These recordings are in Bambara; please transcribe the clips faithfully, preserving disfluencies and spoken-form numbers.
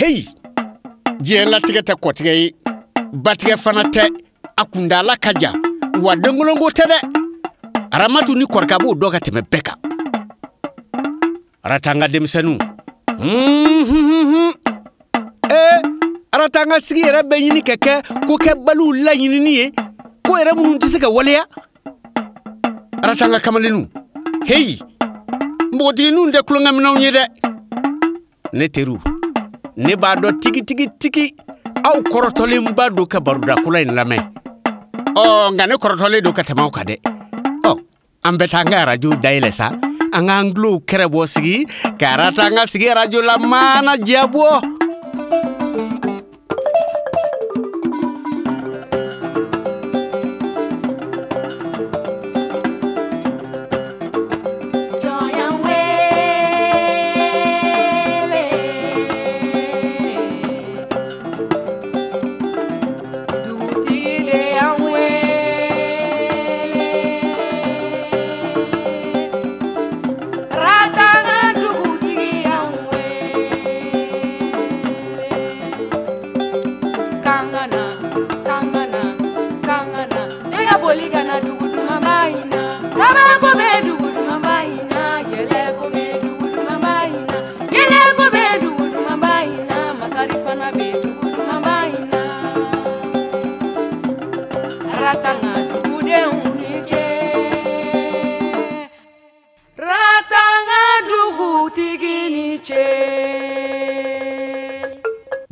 Heyi, diɲɛ latigɛ tɛ kɔtigɛ ye, batigɛ fana tɛ, a kuntaala ka jan, wa denkolonko tɛ dɛ. Aramatu ni Kɔrika b'o dɔn ka tɛmɛ bɛɛ kan. Aratanga denmisɛnninw, ee Aratanga sigi yɛrɛ bɛ ɲini ka kɛ kokɛbaliw laɲinini ye, ko yɛrɛ minnu tɛ se ka waleya. Aratanga kamalenninw, heyi, npogotigininw tɛ tulonkɛminɛnw ye dɛ. Ne teriw, ne b'a dɔn tigitigi tigi aw kɔrɔtɔlenba don ka barodakola in lamɛn. Ɔ nka ne kɔrɔtɔlen don ka tɛmɛ aw kan dɛ. Ɔ an bɛ taa an ka arajo dayɛlɛ sa, an k'an tulow kɛrɛbɔ sigi ka Aratanga sigi arajo la maana diyabɔ.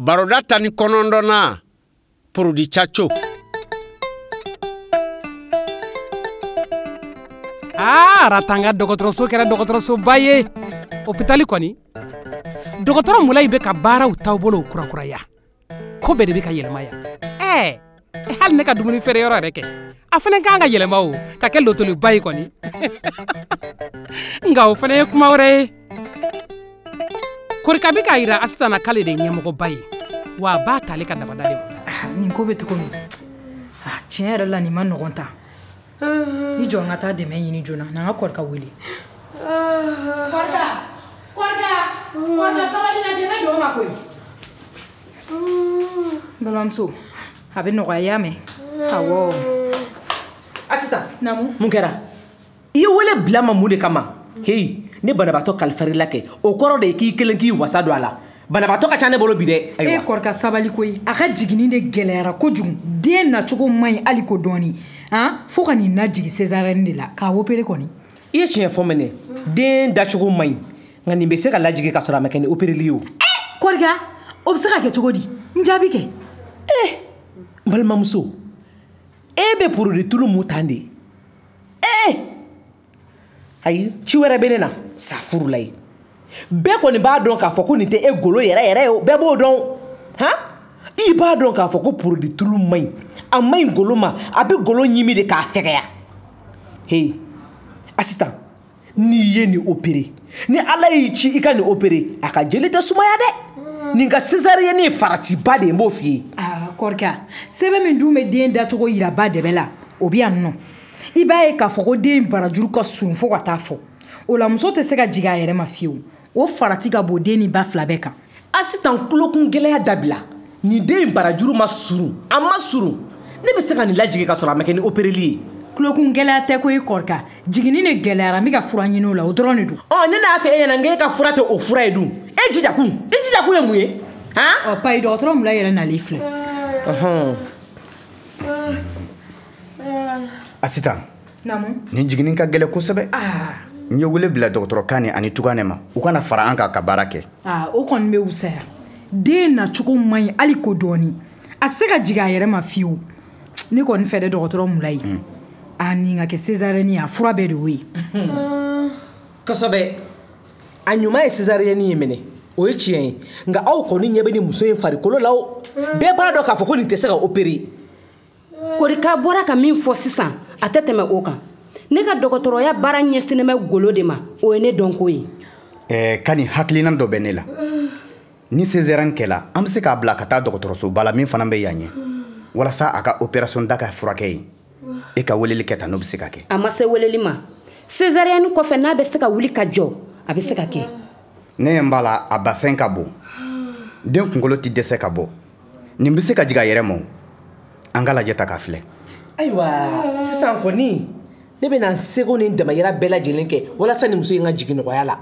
Baroda tan ni kɔnɔntɔnnan, Porodi Caco. Aa, Aratanga dɔgɔtɔrɔso kɛra dɔgɔtɔrɔsoba ye. Hôpital kɔni, dɔgɔtɔrɔ Mulayi bɛ ka baaraw taabolow kurakuraya. Ko bɛɛ de bɛ ka yɛlɛma yan. Ɛɛ, hali ne ka dumuni feere yɔrɔ yɛrɛ kɛ, a fana kan ka yɛlɛma o, ka kɛ lotoliba ye kɔni. Nka o fana ye kuma wɛrɛ ye. Korika bɛ k'a yira Asitan na k'ale de ye ɲɛmɔgɔba ye, wa a b'a t'ale ka dabada de ma. Nin ko bɛ cogo min, tiɲɛ yɛrɛ la nin ma nɔgɔn ta. I jɔ n ka taa dɛmɛ ɲini joona, na n ka Korika wele. Korika, Korika, Korika sabali na, dɛmɛ don ma koyi. N balimamuso, a bɛ nɔgɔya, i y'a mɛn? Awɔ. Asitan, naamu. Mun kɛra? I ye wele bila ma mun de kama? Heyi, ne banabaatɔ kalifar'i la kɛ, o kɔrɔ de ye k'i kelen k'i wasa don a la. Banabaatɔ ka ca ne bolo bi dɛ. E Korika sabali koyi, a ka jiginni de gɛlɛyara kojugu, den nacogo man ɲi hali ko dɔɔni, han, fo ka nin lajigin césarienne de la k'a opéré kɔni. I ye tiɲɛ fɔ mɛnɛ, den dacogo man ɲi, nka nin bɛ se ka lajigin ka sɔrɔ a ma kɛ ni opéreli ye o. Korika, o bɛ se ka kɛ cogo di? N jaabi kɛ. Eh, n balimamuso, e bɛ porodi tulu mun tan de? Eh, ayi, ci wɛrɛ bɛ ne na, safuru la ye. Bɛɛ kɔni b'a dɔn k'a fɔ ko nin tɛ e golo yɛrɛ yɛrɛ ye o, bɛɛ b'o dɔn. Han, i b'a dɔn k'a fɔ ko porodi tulu man ɲi, a man ɲi golo ma, a bɛ golo ɲimi de k'a fɛgɛya. Heyi, Asitan, n'i ye nin opéré, ni Ala y'i ci i ka nin opéré, a ka jeli tɛ sumaya dɛ. Nin ka césarienne ye faratiba de ye, n b'o f'i ye. Aa Korika, sɛbɛn min dun bɛ den dacogo yira ba dɛbɛ la, o bɛ yan nɔ. I b'a ye k'a fɔ ko den barajuru ka surun fo ka taa fɔ. O la muso tɛ se ka jigin a yɛrɛ ma fiyewu. O farati ka bon den ni ba fila bɛɛ kan. Asitan, tulokun gɛlɛya dabila. Nin den in barajuru ma surun, a ma surun. Ne bɛ se ka nin lajigin ka sɔrɔ a ma kɛ ni opéreli ye. Tulokun gɛlɛya tɛ koyi Korika, jiginni de gɛlɛyara, n bɛ ka fura ɲini o la, o dɔrɔn de don. Ɔ ne n'a fɛ e ɲɛna n k'e ka fura tɛ o fura ye dun. E jija kun, e jija kun ye mun ye? Han? Ɔ payi, dɔgɔtɔrɔ Mulayi yɛrɛ nalen filɛ. Ɔhɔn. Asitan, naamu. Nin jiginni ka gɛlɛn kosɛbɛ. Aa. N ye wele bila dɔgɔtɔrɔ Kane ani Tugane ma, u kana fara an kan ka baara kɛ. Aa, o kɔni bɛ wusaya. Den nacogo man ɲi hali ko dɔɔni. A tɛ se ka jigin a yɛrɛ ma fiyewu. Ne kɔni fɛ dɛ, dɔgɔtɔrɔ Mulayi, a nin ka kɛ césarienne ye, a fura bɛɛ de y'o ye. Kosɛbɛ. A ɲuman ye césarienne ye minɛ, o ye tiɲɛ ye. Nka aw kɔni ɲɛ bɛ nin muso in farikolo la o. Bɛɛ b'a dɔn k'a fɔ ko nin tɛ se ka opérer. Korika bɔra ka min fɔ sisan, a tɛ tɛmɛ o kan. Ne ka dɔgɔtɔrɔya baara ɲɛsinnen bɛ golo de ma, o ye ne dɔnko ye. Ɛɛ Kani, hakilina dɔ bɛ ne la. Ni césarienne kɛla, an bɛ se k'a bila ka taa dɔgɔtɔrɔsoba la min fana bɛ yan ɲɛ, walasa a ka opération da ka furakɛ yen. E ka weleli kɛ tan, n'o bɛ se ka kɛ. A ma se weleli ma. Césarienne kɔfɛ, n'a bɛ se ka wuli ka jɔ, a bɛ se ka kɛ. Ne ɲɛ b'a la, a bassin ka bon. Den kunkolo tɛ dɛsɛ ka bɔ. Nin bɛ se ka jigin a yɛrɛ ma o. An ka lajɛ ta k'a filɛ. Ayiwa, sisan kɔni ne bɛna n seko ni n damayira bɛɛ lajɛlen kɛ walasa nin muso in ka jigin nɔgɔya la.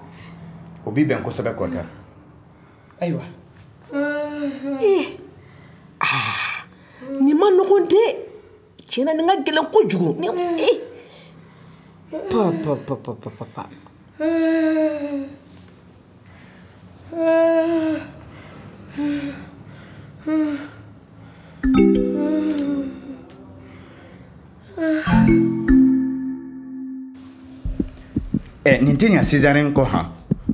O b'i bɛn kosɛbɛ Kɔrika. Ayiwa. Ee, aa, nin ma nɔgɔn dɛ. Tiɲɛ na nin ka gɛlɛn kojugu. Nin ee. Pa pa pa pa pa pa pa. Ɛ nin tɛ ɲa césarienne kɔ han,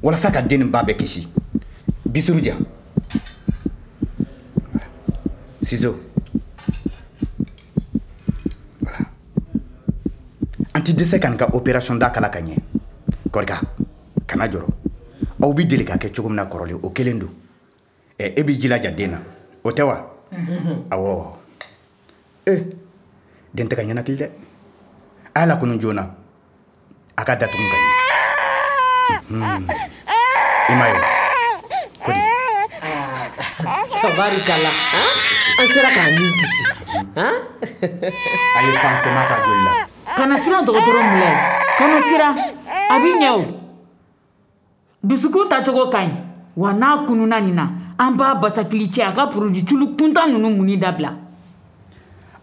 walasa ka den nin ba bɛɛ kisi. Bisuru di yan. Ciseaux. Voilà. An ti dɛsɛ ka nin ka opération da kala ka ɲɛ. Kɔrika, kana jɔrɔ. Aw bi deli ka kɛ cogo min na kɔrɔlen, o kelen don. Ɛ e b'i jilaja den na, o tɛ wa? Awɔ. E, den tɛ ka ɲɛnakili dɛ. A y'a lakunu joona. A ka datugu ka ɲɛ. I m'a ye wa? Kodi. Tabarikala. An sera k'a min kisi. A ye pansement k'a joli la. Kana siran dɔgɔtɔrɔ Mulayi. Kana siran. A b'i ɲɛ o. Dusukun tacogo ka ɲi. Wa n'a kununa nin na, an b'a basakili cɛ a ka produit tulu kuntan ninnu munni dabila.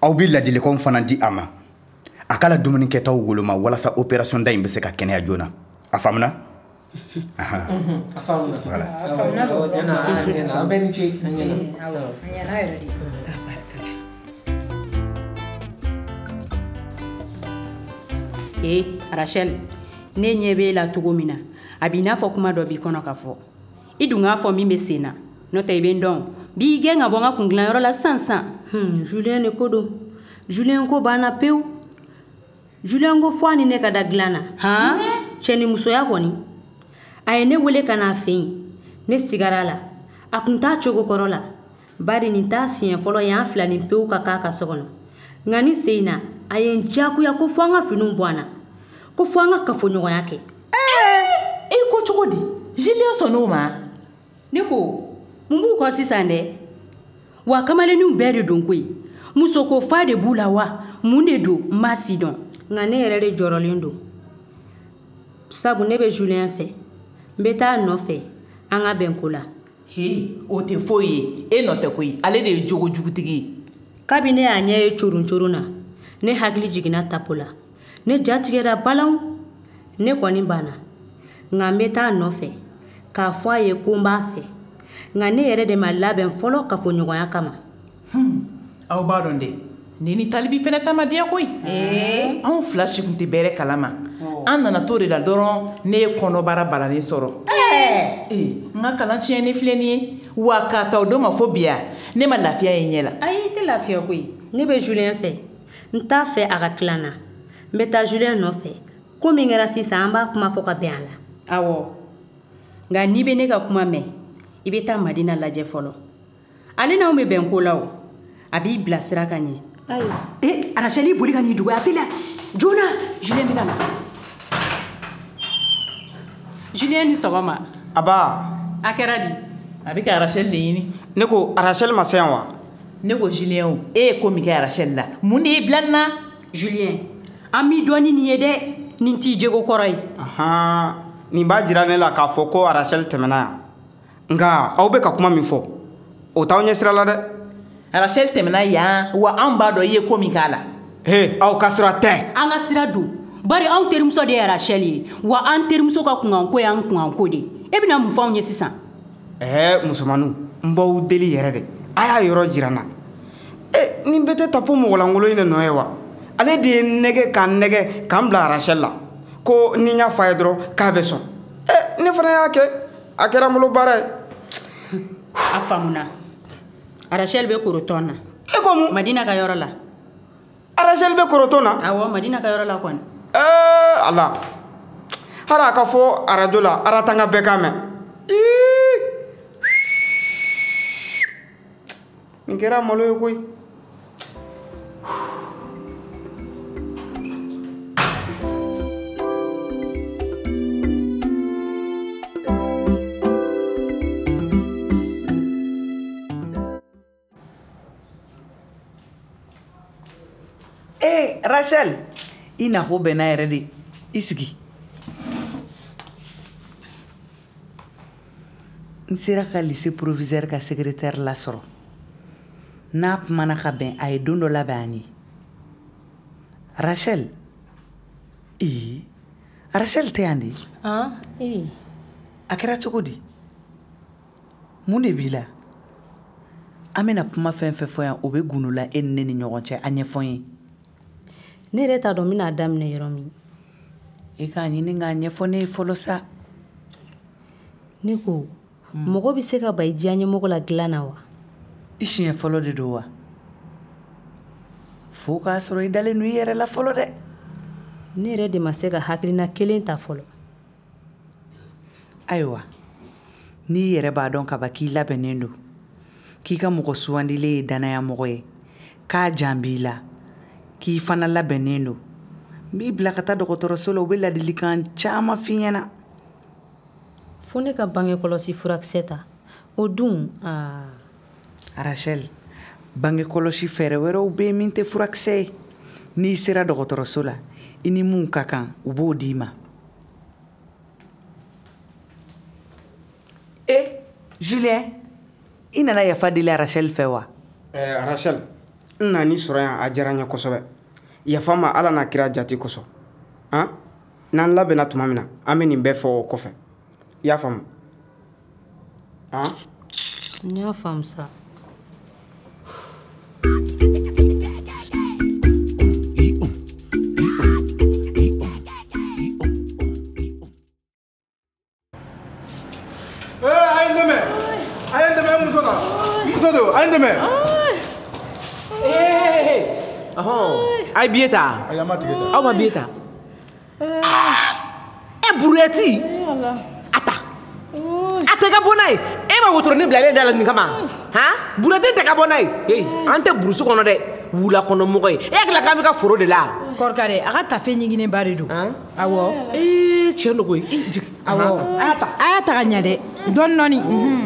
Aw bɛ ladilikanw fana di a ma. A k'a la dumuni kɛtaw woloma walasa opération da in bɛ se ka kɛnɛya joona. A faamuna? A faamuna. Voilà. A faamuna dɔgɔtɔrɔ. An bɛɛ ni ce. A ɲɛna. Awɔ, a ɲɛna yɛrɛ de. Ee Rachel, ne ɲɛ b'e la cogo min na, a b'i n'a fɔ kuma dɔ b'i kɔnɔ ka fɔ. I dun k'a fɔ min bɛ sen na, n'o tɛ i bɛ n dɔn. B'i gɛn ka bɔ n ka kundilanyɔrɔ la sisan sisan. Hmm, Julien de ko don. Julien ko banna pewu. Julien ko fo a ni ne ka da dilan na. Han? Cɛnimusoya kɔni. A ye ne wele ka n'a fɛ yen. Ne sigara a la. A kun t'a cogo kɔrɔ la. Bari nin t'a siɲɛ fɔlɔ ye an fila ni pewu ka k'a ka so kɔnɔ. Nka ni sen in na, a ye n diyagoya ko fo an ka finiw bɔ an na. Ko fo an ka kafoɲɔgɔnya kɛ. Ɛɛ, e ko cogo di? Julien sɔnn'o ma? Ne ko, mun b'u kɔ sisan dɛ? Wa kamalenninw bɛɛ de don koyi. Muso ko fa de b'u la wa? Mun de don? N m'a si dɔn. Nka ne yɛrɛ de jɔrɔlen don. Sabu ne bɛ Julien fɛ. N bɛ taa a nɔfɛ an ka bɛn ko la. He, o tɛ foyi ye. E nɔ tɛ koyi. Ale de ye jogojugutigi ye. Kabi ne y'a ɲɛ ye coron coron na, ne hakili jiginna tapo la. Ne ja tigɛra balanw. Ne kɔni banna. Nka n bɛ taa a nɔfɛ k'a fɔ a ye ko n b'a fɛ. Nka ne yɛrɛ de ma labɛn fɔlɔ kafoɲɔgɔnya kama. Hmm, aw b'a dɔn dɛ. Ni ni talibi fɛnɛ ta ma diya koyi. Anw fila si kun tɛ bɛrɛ kalama. An nana to de la dɔrɔn ne ye kɔnɔbara balalen sɔrɔ. Ee, n ka kalan tiɲɛnen filɛ nin ye. Wa k'a ta o don ma fo bi yan, ne ma lafiya ye ɲɛ la. Ayi, i tɛ lafiya koyi. Ne bɛ Julien fɛ. N t'a fɛ a ka tila n na. N bɛ taa Julien nɔfɛ. Ko min kɛra sisan, an b'a kuma fɔ ka bɛn a la. Awɔ. Nka n'i bɛ ne ka kuma mɛn, i bɛ taa Madina lajɛ fɔlɔ. Ale n'anw bɛ bɛn ko la o. A b'i bilasira ka ɲɛ. Ayiwa. Ee, Rachel, i boli ka n'i dogo a teliya. Joona, Julien bɛ ka na. Julien ni sɔgɔma. Aba. A kɛra di? A bɛ ka Rachel de ɲini. Ne ko Rachel ma se yan wa? Ne ko Julien o, e ye ko min kɛ Rachel la, mun de y'i bila nin na? Julien, an b'i dɔn ni nin ye dɛ. Nin t'i jogo kɔrɔ ye. Ahan, nin b'a jira ne la k'a fɔ ko Rachel tɛmɛna yan. Nka aw bɛ ka kuma min fɔ, o t'aw ɲɛ sira la dɛ. Rachel tɛmɛna yan, wa anw b'a dɔn i ye ko min k'a la. He, aw ka sira tɛ. An ka sira don. Bari anw terimuso de ye Rachel ye, wa an terimuso ka kunkanko y'an kunkanko de ye. E bɛna mun fɔ anw ye sisan? Ɛɛ musomaninw, n b'aw deli yɛrɛ de. A y'a yɔrɔ jira n na. E, nin bɛɛ tɛ tapo mɔgɔlankolon in de nɔ ye wa? Ale de ye n nɛgɛ ka n nɛgɛ k'an bila Rachel la. Ko ni n y'a f'a ye dɔrɔn k'a bɛ sɔn. E, ne fana y'a kɛ. A kɛra n bolo baara ye. A faamuna. Rachel bɛ korotɔn na. E ko mun? Madina ka yɔrɔ la. Rachel bɛ korotɔn na? Awɔ, Madina ka yɔrɔ la kɔni. Ɛɛ Ala. Hali a ka fɔ arajo la, Aratanga bɛɛ k'a mɛn. Ii! Nin kɛra malo ye koyi. Rachel, i nako bɛnna yɛrɛ de. I sigi. N sera ka lycée proviseur ka secrétaire lasɔrɔ. N'a kumana ka bɛn, a ye don dɔ labɛn an ye. Rachel, ee, Rachel tɛ yan de? Ah, ee. A kɛra cogo di? Mun de b'i la? An bɛna kuma fɛn fɛn fɔ yan, o bɛ gundo la e ni ne ni ɲɔgɔn cɛ, a ɲɛfɔ n ye. Ne yɛrɛ t'a dɔn n bɛna daminɛ yɔrɔ min. E k'a ɲini k'a ɲɛfɔ ne ye fɔlɔ sa. Ne ko, mɔgɔ bɛ se ka ban i diyaɲɛmɔgɔ la dilan na wa? I siɲɛ fɔlɔ de don wa? Fo k'a sɔrɔ i dalen don i yɛrɛ la fɔlɔ dɛ. Ne yɛrɛ de ma se ka hakilina kelen ta fɔlɔ. Ayiwa, n'i yɛrɛ b'a dɔn kaban k'i labɛnnen don, k'i ka mɔgɔ sugandilen ye dannayamɔgɔ ye, k'a jan b'i la, k'i fana labɛnnen don, n b'i bila ka taa dɔgɔtɔrɔso la, u bɛ ladilikan caman f'i ɲɛna. Fo ne ka bange kɔlɔsi furakisɛ ta, o dun aa. Rachel, bange kɔlɔsi fɛɛrɛ wɛrɛw bɛ yen min tɛ furakisɛ ye. N'i sera dɔgɔtɔrɔso la, i ni mun ka kan, u b'o d'i ma. E, Julien, i nana yafa deli Rachel fɛ wa? Ɛɛ Rachel, n nan'i sɔrɔ yan, a diyara n ye kosɛbɛ. Yafa ma Ala n'a kira jate kosɔn. Han? N'an labɛnna tuma min na, an bɛ nin bɛɛ fɔ o kɔfɛ. I y'a faamu? Han? N y'a faamu sa. A ye n dɛmɛ. Ɔhɔn, a ye billet ta. Ayi, an ma tigɛ ta. Aw ma billet ta. E buruyɛti. A ta. A tɛ ka bɔ n'a ye. E ma wotoronin bilalen da la nin kama. Han? Buruyɛti tɛ ka bɔ n'a ye. Heyi, an tɛ burusi kɔnɔ dɛ. Wula kɔnɔ mɔgɔ ye. E hakili la k'an bɛ ka foro de la. Kɔrɔkɛ dɛ, a ka tafe ɲiginnenba de don. Awɔ. Ee, tiɲɛ don koyi. I jigin. Awɔ. A y'a ta. A y'a ta ka ɲɛ dɛ. Dɔɔni dɔɔni.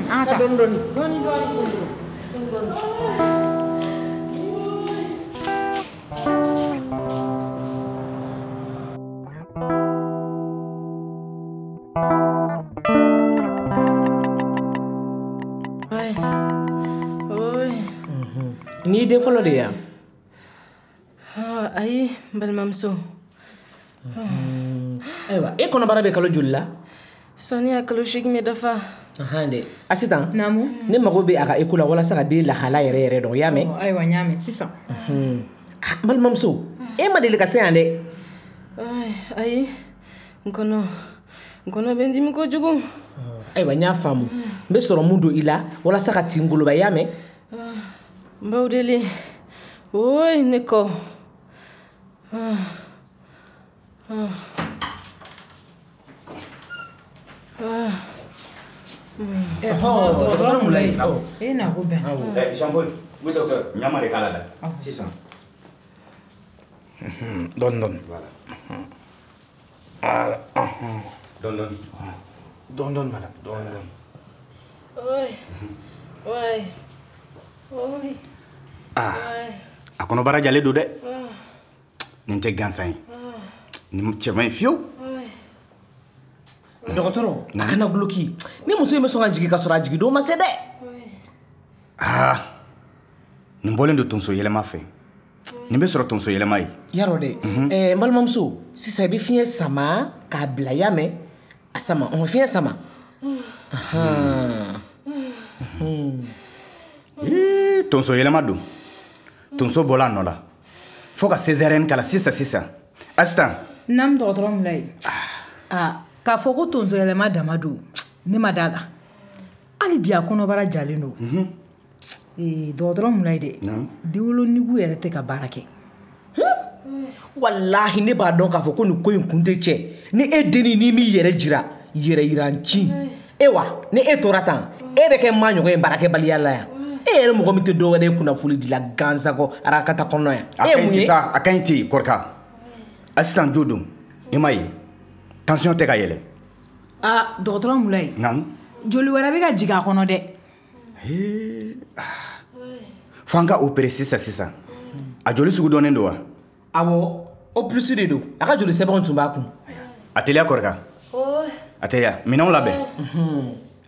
An ka taa. Dɔɔni dɔɔni. Dɔɔni dɔɔni. N'i den fɔlɔ de ye yan? Ayi, n balimamuso. Ayiwa, e kɔnɔbara bɛ kalo joli la? Sɔɔni a kalo seegin bɛ dafa. Ahan dɛ. Asitan. Naamu. Ne mago bɛ a ka eko la walasa ka den lahala yɛrɛ yɛrɛ dɔn, i y'a mɛn? Ayiwa, n y'a mɛn sisan. N balimamuso, e ma deli ka se yan dɛ. Ayi, n kɔnɔ n kɔnɔ bɛ n dimi kojugu. Ayiwa, n y'a faamu. N bɛ sɔrɔ mun don i la walasa ka tin goloba, i y'a mɛn? N b'aw deli. Oyi, ne kɔ. Dɔgɔtɔrɔ Mulayi. E na ko bɛn. Jean Paul. Oui, docteur. Ɲama de k'a la dɛ. Sisan. Dɔɔni dɔɔni. Voilà. Voilà. Dɔɔni dɔɔni. Dɔɔni dɔɔni madame. Dɔɔni dɔɔni. Oyi. Oyi. Oyi. Ah. A kɔnɔbara jalen don dɛ. Nin tɛ gansan ye. Nin cɛ man ɲi fiyewu. Dɔgɔtɔrɔ, a kana guloki. Ni muso in bɛ sɔn ka jigin ka sɔrɔ a jigin don ma se dɛ. Aa, nin bɔlen don tonso yɛlɛma fɛ. Nin bɛ sɔrɔ tonso yɛlɛma ye. Yarɔ dɛ. Ɛɛ n balimamuso, sisan i bɛ fiɲɛ sama k'a bila, i y'a mɛn? A sama, ɔhɔn, fiɲɛ sama. Ee, tonso yɛlɛma don. Tonso bɔla a nɔ la. Fo ka césarienne k'a la sisan sisan. Asitan. Naamu, dɔgɔtɔrɔ Mulayi. Aa, k'a fɔ ko tonso yɛlɛma dama don, ne ma da la. Hali bi a kɔnɔbara jalen don. Ee, dɔgɔtɔrɔ Mulayi dɛ, denwolonugu yɛrɛ tɛ ka baara kɛ. Walahi, ne b'a dɔn k'a fɔ ko nin ko in kun tɛ cɛ. Ni e dennin n'i m'i yɛrɛ jira, yɛrɛ yiranci. E wa, ni e tora tan, e bɛ kɛ maa ɲɔgɔn ye baarakɛbaliya la yan. E yɛrɛ mɔgɔ min tɛ dɔwɛrɛ ye kunnafoni di la gansan kɔ arakata kɔnɔ yan. A ka ɲi ten sa, a ka ɲi ten Kɔrika. Asitan jo don, i m'a ye. Tension tɛ ka yɛlɛ. Aa, dɔgɔtɔrɔ Mulayi. Naamu. Joli wɛrɛ bɛ ka jigin a kɔnɔ dɛ. Fo an ka opérer sisan sisan. A joli sugu dɔnnen don wa? Awɔ, O plus de don. A ka joli sɛbɛnw tun b'a kun. A teliya Kɔrika. A teliya, minɛnw labɛn.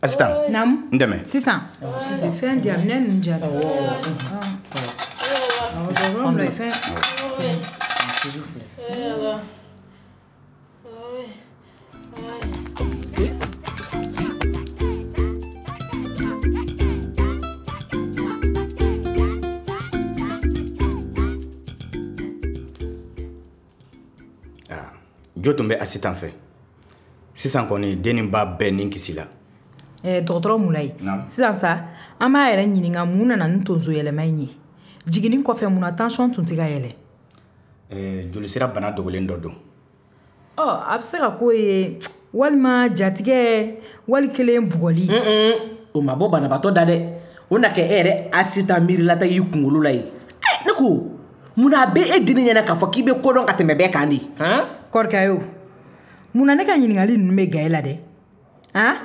Asitan. Naamu. N dɛmɛ. Sisan. Sisan. Fɛn di yan, minɛn ninnu di yan. Awɔ. Awɔ, dɔgɔtɔrɔ Mulayi fɛn. Jo tun bɛ Asitan fɛ. Sisan kɔni den ni ba bɛɛ ni kisi la. Eh, dɔgɔtɔrɔ Mulayi, sisan sa an b'a yɛrɛ ɲininka mun nana ni tonso yɛlɛma in ye. Jiginni kɔfɛ mun na tension tun tɛ ka yɛlɛ? Eh, jolisira bana dogolen dɔ don. Ɔ, a bɛ se ka k'o ye walima jatigɛ wali kelen bugɔli. O ma bɔ banabaatɔ da dɛ. O na kɛ e yɛrɛ Asitan miirilata y'i kunkolo la ye. Eh, ne ko mun na a bɛ e denni ɲɛna k'a fɔ k'i bɛ ko dɔn ka tɛmɛ bɛɛ kan de? Han? Kɔrika yo, mun na ne ka ɲininkali ninnu bɛ ga e la dɛ? Han?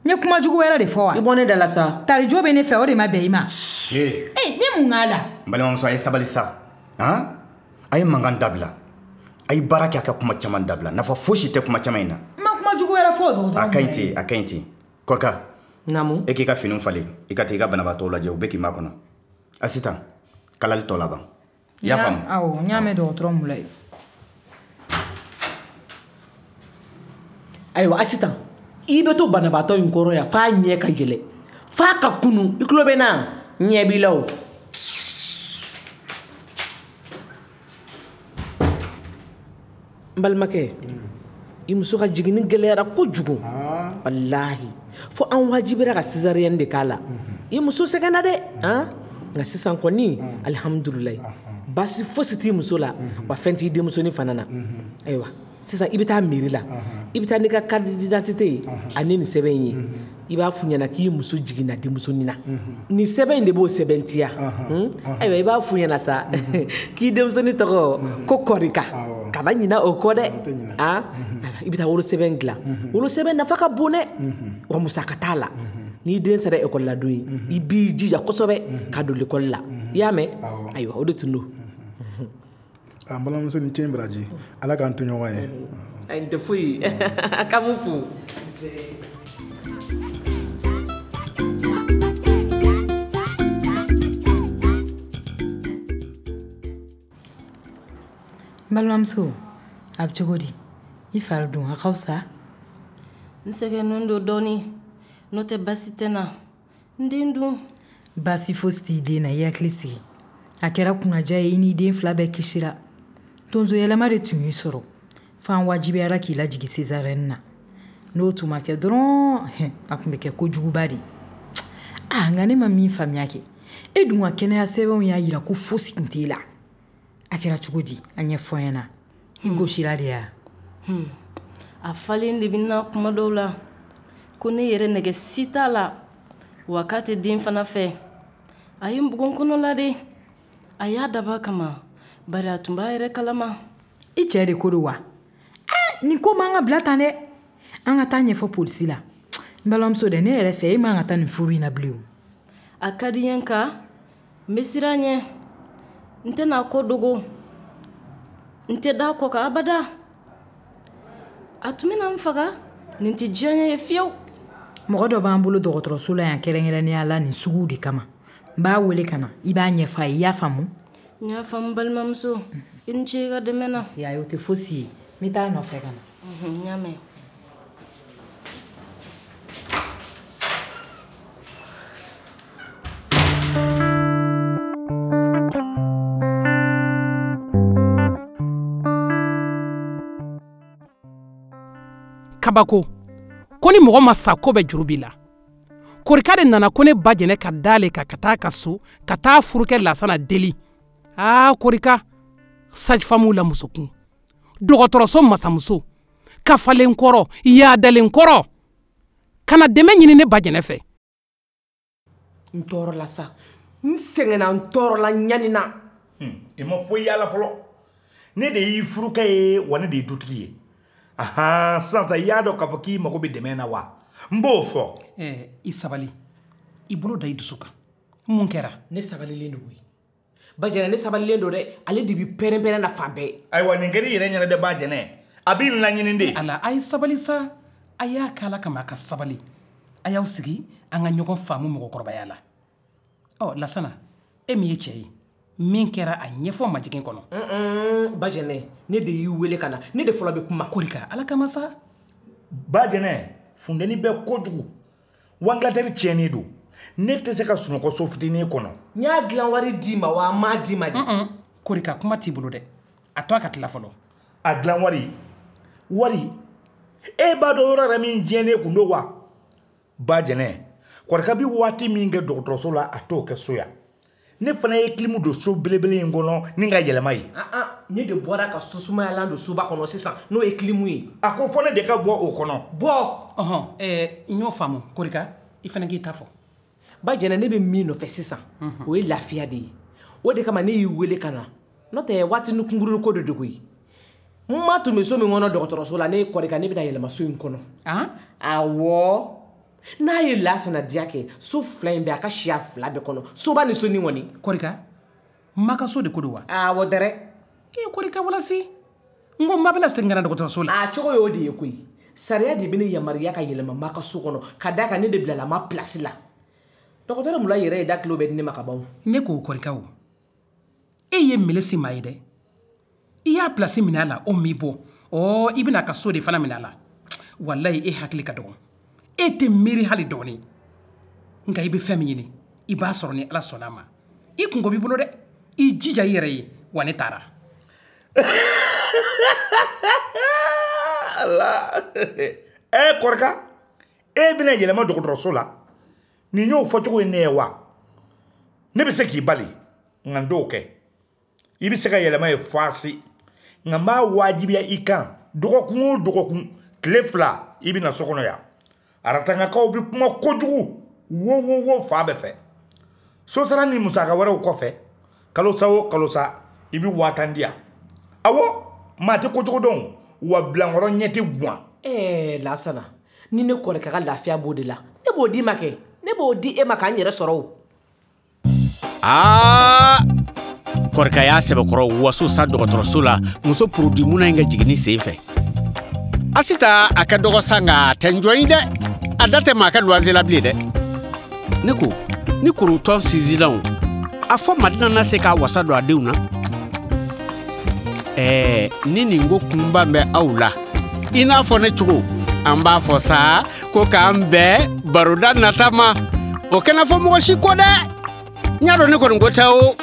N ye kuma jugu wɛrɛ de fɔ wa? I bɔ ne da la sa. Tarijo bɛ ne fɛ, o de ma bɛn i ma. Ee, ne mun k'a la? N balimamuso, a ye sabali sa. Han? A ye mankan dabila. A ye baara kɛ, a ka kuma caman dabila. Nafa fosi tɛ kuma caman in na. N ma kuma jugu wɛrɛ fɔ o dɔgɔtɔrɔ. A ka ɲi ten, a ka ɲi ten. Kɔrika. Naamu. E k'i ka finiw falen, i ka taa i ka banabaatɔw lajɛ, u bɛ k'i makɔnɔ. Asitan, kalali tɔ laban. I y'a faamu? Awɔ, n y'a mɛn dɔgɔtɔrɔ Mulayi. Ayiwa Asitan, i bɛ to banabaatɔ in kɔrɔ yan f'a ɲɛ ka yɛlɛ, f'a ka kunu. I tulo bɛ n na? Ɲɛ b'i la o. N balimakɛ, i muso ka jiginni gɛlɛyara kojugu. Walahi, fo an wajibira ka césarienne de k'a la. I muso sɛgɛnna dɛ. Han? Nka sisan kɔni, alihamudulilayi, baasi fosi t'i muso la, wa fɛn t'i denmusonin fana na. Ayiwa, sisan i bɛ taa mairie la, i bɛ taa n'i ka carte d'identité ye ani nin sɛbɛn in ye. I b'a f'u ɲɛna k'i muso jiginna denmusonin na. Nin sɛbɛn in de b'o sɛbɛntiya. Ayiwa, i b'a f'u ɲɛna sa k'i denmusonin tɔgɔ ko Kɔrika. Kana ɲinɛ o kɔ dɛ. Han? I bɛ taa wolosɛbɛn dilan. Wolosɛbɛn nafa ka bon dɛ, wa musaka t'a la. N'i den sera ekɔli la don ye, i b'i jija kosɛbɛ ka don lekɔli la. I y'a mɛn? Ayiwa, o de tun don. An balimamuso ni ce baraji, Ala k'an to ɲɔgɔn ye. Ayi, n tɛ foyi. K'an b'u fo. N balimamuso, a bɛ cogo di? I fari dun a ka fisa? N sɛgɛnnen don dɔɔnin, n'o tɛ baasi tɛ n na. N den dun? Baasi fosi t'i den na, i hakili sigi. A kɛra kunnaja ye, i n'i den fila bɛɛ kisira. Tonso yɛlɛma de tun y'i sɔrɔ. F'an wajibiyara k'i lajigin césarienne na. N'o tun ma kɛ dɔrɔn, a tun bɛ kɛ kojuguba de. Ah, nka ne ma min faamuya kɛ, e dun ka kɛnɛya sɛbɛnw y'a jira ko fosi tun t'e la. A kɛra cogo di? A ɲɛfɔ n ɲɛna. I gosira de ya? A falen de bɛ n na kuma dɔw la. Ko ne yɛrɛ nɛgɛ si t'a la. Wa k'a tɛ den fana fɛ. A ye n bugɔ n kɔnɔ la de. A y'a dab'a kama, bari a tun b'a yɛrɛ kalama. I cɛ de ko don wa? Eh, nin ko man ka bila tan dɛ. An ka taa ɲɛfɔ polisi la. N balimamuso dɛ, ne yɛrɛ fɛ e man ka taa nin furu in na bilen o. A ka di n ye nka n bɛ siran ɲɛ. N tɛna a ko dogo. N tɛ da a kɔ kan abada. A tun bɛna n faga. Nin tɛ diya n ye fiyewu. Mɔgɔ dɔ b'an bolo dɔgɔtɔrɔso la yan kɛrɛnkɛrɛnnenya la nin suguw de kama. N b'a wele ka na, i b'a ɲɛfɔ a ye, i y'a faamu? N y'a faamu balimamuso. I ni ce i ka dɛmɛ na. Ayi, o tɛ fosi ye. N bɛ taa a nɔfɛ ka na. N y'a mɛn. Kabako, ko ni mɔgɔ ma sa ko bɛ juru b'i la. Korika de nana ko ne ba jɛnɛ ka d'ale kan ka taa ka so, ka taa furukɛ Lasana deli. Aa Korika, sage-femme la musokun, dɔgɔtɔrɔso masamuso, kafalen kɔrɔ, yaadalen kɔrɔ, kana dɛmɛ ɲini ne ba jɛnɛ fɛ. N tɔɔrɔla sa, n sɛgɛnna, n tɔɔrɔla, n ɲanina. I ma foyi y'a la fɔlɔ. Ne de y'i furukɛ ye, wa ne de ye dutigi ye. Ahan, sisan sa i y'a dɔn k'a fɔ k'i mago bɛ dɛmɛ na wa? N b'o fɔ. Ɛɛ, i sabali. I bolo da i dusu kan. Mun kɛra? Ne sabalilen don koyi. Bajɛnɛ ne sabalilen don dɛ, ale de bi pɛrɛn-pɛrɛn na fan bɛɛ. Ayiwa nin kɛra i yɛrɛ ɲɛna dɛ Bajɛnɛ, a b'i laɲini de. Ala a ye sabali sa, a y'a k'ala kama a ka sabali. A y'aw sigi an ka ɲɔgɔn faamu mɔgɔkɔrɔbaya la. Ɔ Lasana, e min ye cɛ ye, min kɛra a ɲɛfɔ majigin kɔnɔ. Bajɛnɛ, ne de y'i wele ka na, ne de fɔlɔ bɛ kuma. Korika, ala kama sa. Bajɛnɛ, funteni bɛ kojugu. Wangilatɛri tiɲɛnen don. Ne tɛ se ka sunɔgɔ so fitinin kɔnɔ. N y'a dilan wari d'i ma wa n m'a d'i ma de. Korika, kuma t'i bolo dɛ. A to a ka tila fɔlɔ. A dilan wari? Wari? E b'a dɔn yɔrɔ yɛrɛ min tiɲɛnen kun don wa? Bajɛnɛ, Korika bɛ waati min kɛ dɔgɔtɔrɔso la, a t'o kɛ so yan. Ne fana ye kilimu don so belebele in kɔnɔ ni ka yɛlɛma ye. Ne de bɔra ka susumayalan don soba kɔnɔ sisan, n'o ye kilimu ye. A ko fɔ ne de ka bɔ o kɔnɔ. Bɔ! Ɔhɔn, ɛɛ n y'o faamu Korika, i fana k'i ta fɔ. Bajɛnɛ, ne bɛ min nɔfɛ sisan, o ye lafiya de ye. O de kama ne y'i wele ka na. N'o tɛ waati ni kunkurunin ko de don koyi. N ma tun bɛ so min kɔnɔ dɔgɔtɔrɔso la, ne Korika, ne bɛna yɛlɛma so in kɔnɔ. Awɔ. N'a ye Lasana diya kɛ, so fila in bɛɛ a ka siya fila bɛɛ kɔnɔ, soba ni sonin kɔni. Korika, ma ka so de ko don wa? Awɔ dɛrɛ. E Korika walasi, n ko ma bɛna segin ka na dɔgɔtɔrɔso la. A cogo y'o de ye koyi. Sariya de bɛ ne yamaruya ka yɛlɛma ma ka so kɔnɔ, ka d'a kan ne de bilala ma place la. Dɔgɔtɔrɔ Mulayi yɛrɛ ye da kilo bɛɛ di ne ma ka ban. Ne k'o Korika o, e ye melesi maa ye dɛ. I y'a place minɛ a la, o m'i bɔ. Ɔ i bɛna a ka so de fana minɛ a la. Walayi e hakili ka dɔgɔn. E tɛ miiri hali dɔɔnin. Nka i bɛ fɛn min ɲini, i b'a sɔrɔ ni Ala sɔnna a ma. I kungo b'i bolo dɛ. I jija i yɛrɛ ye, wa ne taara. Ala. Ɛ Korika, e bɛna yɛlɛma dɔgɔtɔrɔso la. Nin y'o fɔcogo ye ne ye wa? Ne bɛ se k'i bali, nka n t'o kɛ. I bɛ se ka yɛlɛma ye faasi. Nka n b'a wajibiya i kan, dɔgɔkun o dɔgɔkun, tile fila, i bɛ na so kɔnɔ yan. Aratangakaw bɛ kuma kojugu, wo wo wo fa bɛɛ fɛ. Sosara ni musaka wɛrɛw kɔfɛ, kalosa o kalosa, i bɛ waa tan di yan. Awɔ, maa tɛ kojugu dɔn, wa bilankɔrɔ ɲɛ tɛ guwan. Ɛɛ Lasana, ni ne Korika ka lafiya b'o de la, ne b'o d'i ma kɛ. Ne b'o di e ma k'an yɛrɛ sɔrɔ o. Aa, Korika y'a sɛbɛkɔrɔ waso sa dɔgɔtɔrɔso la, muso porodi munna in ka jiginni sen fɛ. Asita a ka dɔgɔ sa nka a tɛ n jɔ in dɛ. A da tɛ maa ka luwanse la bilen dɛ. Ne ko, ni korotɔn sinsinna o, a fɔ Madina na se k'a wasa don a denw na. Ɛɛ, ni nin ko kunba bɛ aw la, i n'a fɔ ne cogo, an b'a fɔ sa ko k'an bɛn baroda nata ma. O kana fɔ mɔgɔ si kɔ dɛ. N y'a dɔn ne kɔni ko tɛ o.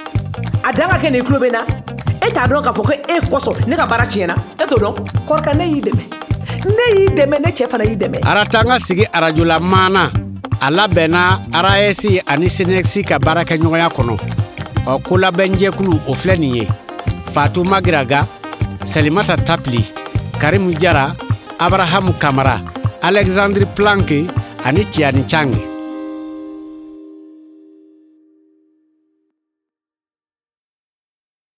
A dan ka kɛ nin tulo bɛ n na. E t'a dɔn k'a fɔ ko e kosɔn ne ka baara tiɲɛna. E t'o dɔn? Korika, ne y'i dɛmɛ. Ne y'i dɛmɛ, ne cɛ fana y'i dɛmɛ. Aratanga sigi arajola maana, a labɛnna A R A S ani SYNECS ka baarakɛɲɔgɔnya kɔnɔ. Ɔ kolabɛnjɛkulu o filɛ nin ye: Fatou Magiraga, Salimata Tapili, Karimu Jara, Abrahamu Kamara, Alexandre Planck ani Tiani Chang.